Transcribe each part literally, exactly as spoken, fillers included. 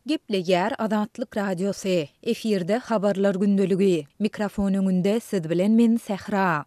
Gepleýär Azatlyk Radiosy, efirde Habarlar gündeligi. Mikrofon öňünde siz bilen men Sähra.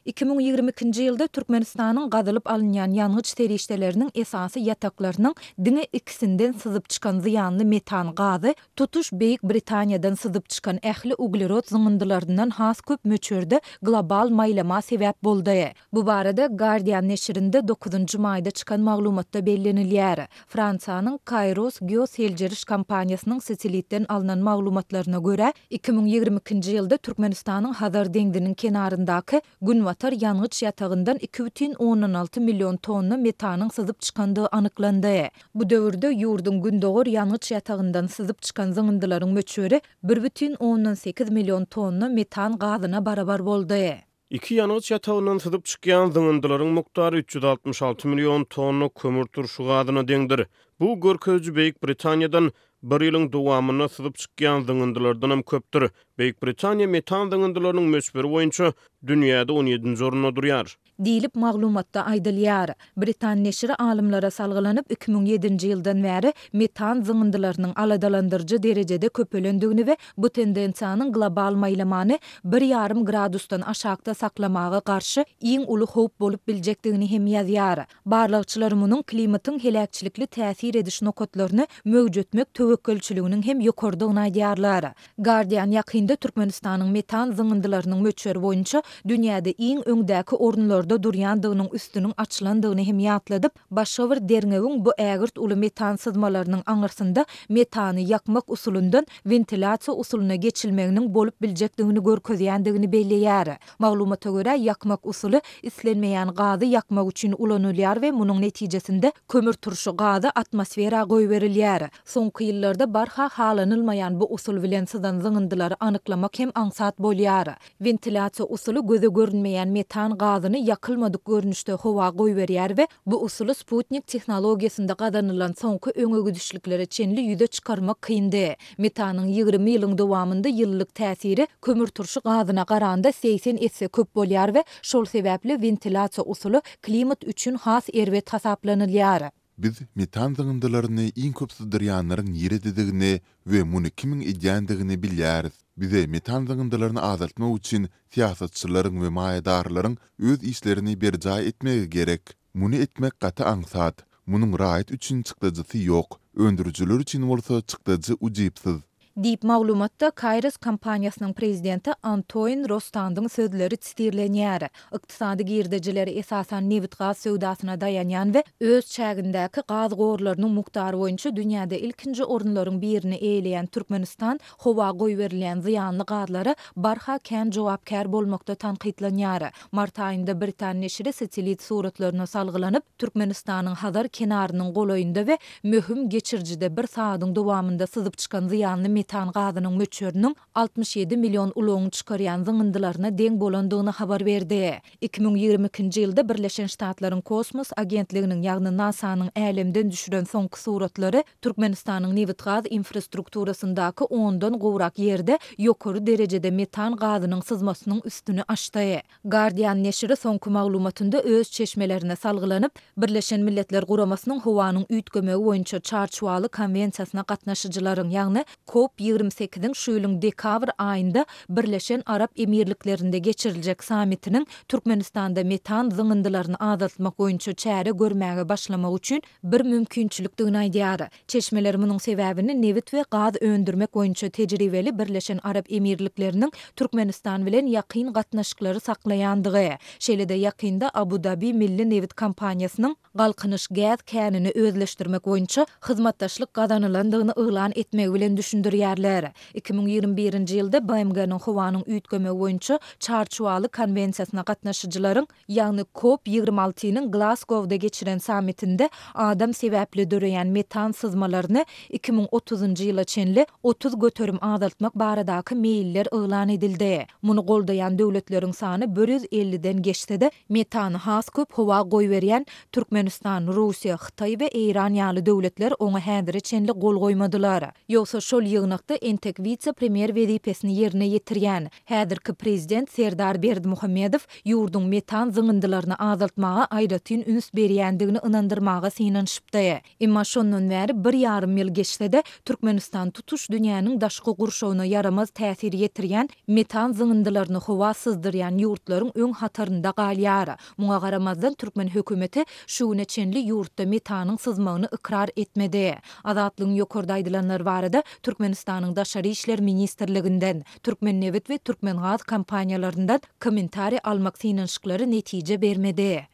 Iki müň ýigrimi ikinji ýylda Türkmenistanyň gazylyp alynýan ýangyç serişdeleriniň esasy ýataklarynyň diňe ikisinden syzyp çykan zyýanly metan gazy tutuş Beýik Britaniýadan syzyp çykan ähli uglerod zyňyndylaryndan has köp möçberde global maýlama sebäp boldy. Bu barada Guardian neşirinde dokuzynjy maýda çykan maglumatda bellenilýär. Fransiýanyň Kayrros geoseljeriş kompaniýasynyň satelitden alnan maglumatlaryna görä, iki müň ýigrimi ikinji ýylda Türkmenistanyň Hazar deňziniň kenaryndaky Günbatar ýangyç ýatagyndan iki bütin ondan alty million tonna metanyň syzyp çykandygy anyklandy. Bu döwürde ýurduň gündogar ýangyç ýatagyndan syzyp çykan zyňyndylaryň möçberi bir bütin ondan sekiz million tonna metan gazyna barabar boldy. Iki ýangyç ýatagyndan syzyp çykýan zyňyndylaryň mukdary üç ýüz altmyş alty million tonna kömürturşy gazyna deňdir. Bu görkeziji Beýik Britaniýadan bir ýylyň dowamynda syzyp çykýan zyňyndylardanam köpdür. Beýik Britaniýa metan zyňyndylarynyň möçberi boýunça dünýäde on ýedinji orunda durýar. Diýlip maglumatda aýdylýar. Britan neşiri alymlara salgylanyp, iki müň ýedinji ýyldan bäri metan zyňyndylarynyň aladalandyryjy derejede köpelendigini we bu tendensiýanyň global maýlamany bir ýarym gradusdan aşakda saklamaga garşy iň uly howp bolup biljekdigini hem ýazýar. Barlagçylar munuň klimatyň heläkçilikli täsir ediş nokatlaryny möwjetmek töwekgelçiliginiň hem ýokardygyny aýdýarlar. Guardian ýakynda Türkmenistanyň metan zyňyndylarynyň möçberi boýunça dünýäde iň öňdäki orunlarda durýandygynyň üstüniň açylandygyny hem ýatladyp, başga bir derňewiň bu ägirt uly metan syzmalarynyň aňyrsynda metany ýakmak usulyndan wentilýasiýa usulyna geçilmeginiň bolup biljekdigini görkezýändigini belleýär. Maglumata görä, ýakmak usuly islenmeýän gazy ýakmak üçin ulanylýar we munuň netijesinde kömürturşy gazy atmosfera goýberilýär. Soňky ýyllarda barha halanylmaýan bu usul bilen syzan zyňyndylary anyklamak hem aňsat bolýar. Wentilýasiýa usuly göze görünmeýän metan gazyny ýakylmadyk görnüşde howa goýberýär we bu usuly sputnik tehnologiýasynda gazanylan soňky öňegidişliklere çenli ýüze çykarmak kyndy. Metanyň ýigrimi ýylyň dowamynda ýyllyk täsiri kömürturşy gazyna garanda segsen esse köp bolýar we şol sebäpli wentilýasiýa usuly klimat üçin has erbet hasaplanylýar. Biz metan zyňyndylaryny iň köp syzdyrýanlaryň nirededigini we muny kimiň edýändigini bilýäris. Bize metan zyňyndylaryny azaltmak üçin syýasatçylaryň we maýadarlaryň öz işlerini berjaý etmegi gerek. Muny etmek gaty aňsat. Munuň raýat üçin çykdajysy ýok, öndürijiler üçin bolsa çykdajy ujypsyz. Diýip maglumatda Kayrros kompaniýasynyň prezidenti Antoine Rostandyň sözleri sitirlenýär. Ykdysady girdejileri esasan nebit-gaz söwdasyna daýanýan we öz çägindäki gaz gorlarynyň mukdary boýunça dünýäde ilkinji orunlaryň birini eýeleýän Türkmenistan howa goýberilýän zyýanly gazlara barha kän jogapkär bolmakda tankytlanýar. Mart aýynda Britan neşiri satellit suratlaryna salgylanyp, Türkmenistanyň Hazar kenarynyň golaýynda we möhüm geçirijide bir sagadyň dowamynda syzyp çykan zyýanly metan gazynyň möçberiniň altmyş ýedi million ulagyň çykarýan zyňyndylaryna deň bolandygyny habar berdi. Iki müň ýigrimi ikinji ýylda Birleşen Ştatlaryň kosmos agentliginiň, ýagny NASA-nyň älemden düşüren soňky suratlary Türkmenistanyň nebit-gaz infrastrukturasyndaky ondan gowrak ýerde ýokary derejede metan gazynyň syzmasynyň üstüni açdy. Guardian neşiri soňky maglumatynda öz çeşmelerine salgylanyp, Birleşen Milletler Guramasynyň howanyň üýtgemegi boýunça çarçuwaly konwensiýasyna gatnaşyjylaryň, ýagny COP ýigrimi sekiziň şu ýylyň dekabr aýynda Birleşen Arap Emirliklerinde geçiriljek sammitiniň Türkmenistanda metan zyňyndylaryny azaltmak boýunça çäre görmäge başlamak üçin bir mümkinçilikdigini aýdýar. Çeşmeler munuň sebäbini nebit we gaz öndürmek boýunça tejribeli Birleşen Arap Emirlikleriniň Türkmenistan bilen ýakyn gatnaşyklary saklaýandygy, şeýle-de ýakynda Abu-Dabi milli nebit kompaniýasynyň Galkynyş gäz känini özleşdirmek boýunça hyzmatdaşlyk gazanylandygyny yglan etmegi bilen düşündirýärler. Iki müň ýigrimi birinji ýylda B M G-niň howanyň üýtgemegi boýunça çarçuwaly konwensiýasyna gatnaşyjylaryň, ýagny COP ýigrimi altynyň Glasgowda geçiren sammitinde adam sebäpli döreýän metan syzmalaryny iki müň otuzynjy ýyla çenli otuz göterim azaltmak baradaky meýiller yglan edildi. Muny goldaýan döwletleriň sany bir ýüz elliden geçse-de, metany has köp howa goýberýän Türkmenistan, Russiýa, Hytaý we Eýran ýaly döwletler oňa häzire çenli gol goýmadylar. Ýogsa şol ýygnak ýygnakda entek wise-premýer wezipesini ýerine ýetirýän, häzirki prezident Serdar Berdimuhamedow ýurduň metan zyňyndylaryny azaltmaga aýratyn üns berýändigini ynandyrmaga synanyşypdy. Emma şondan bäri bir ýarym ýyl geçse-de, Türkmenistan tutuş dünýäniň daşky gurşawyna ýaramaz täsir ýetirýän metan zyňyndylaryny howa syzdyrýan ýurtlaryň öň hatarynda galýar. Muňa garamazdan, türkmen hökümeti şu güne çenli ýurtda metanyň syzmagyny ykrar etmedi. Azatlygyň ýokarda aýdylanlar barada Türkmenistanyň Daşary işler ministrliginden, Türkmennebit we Türkmengaz kompaniýalaryndan kommentariý almak synanyşyklary netije bermedi.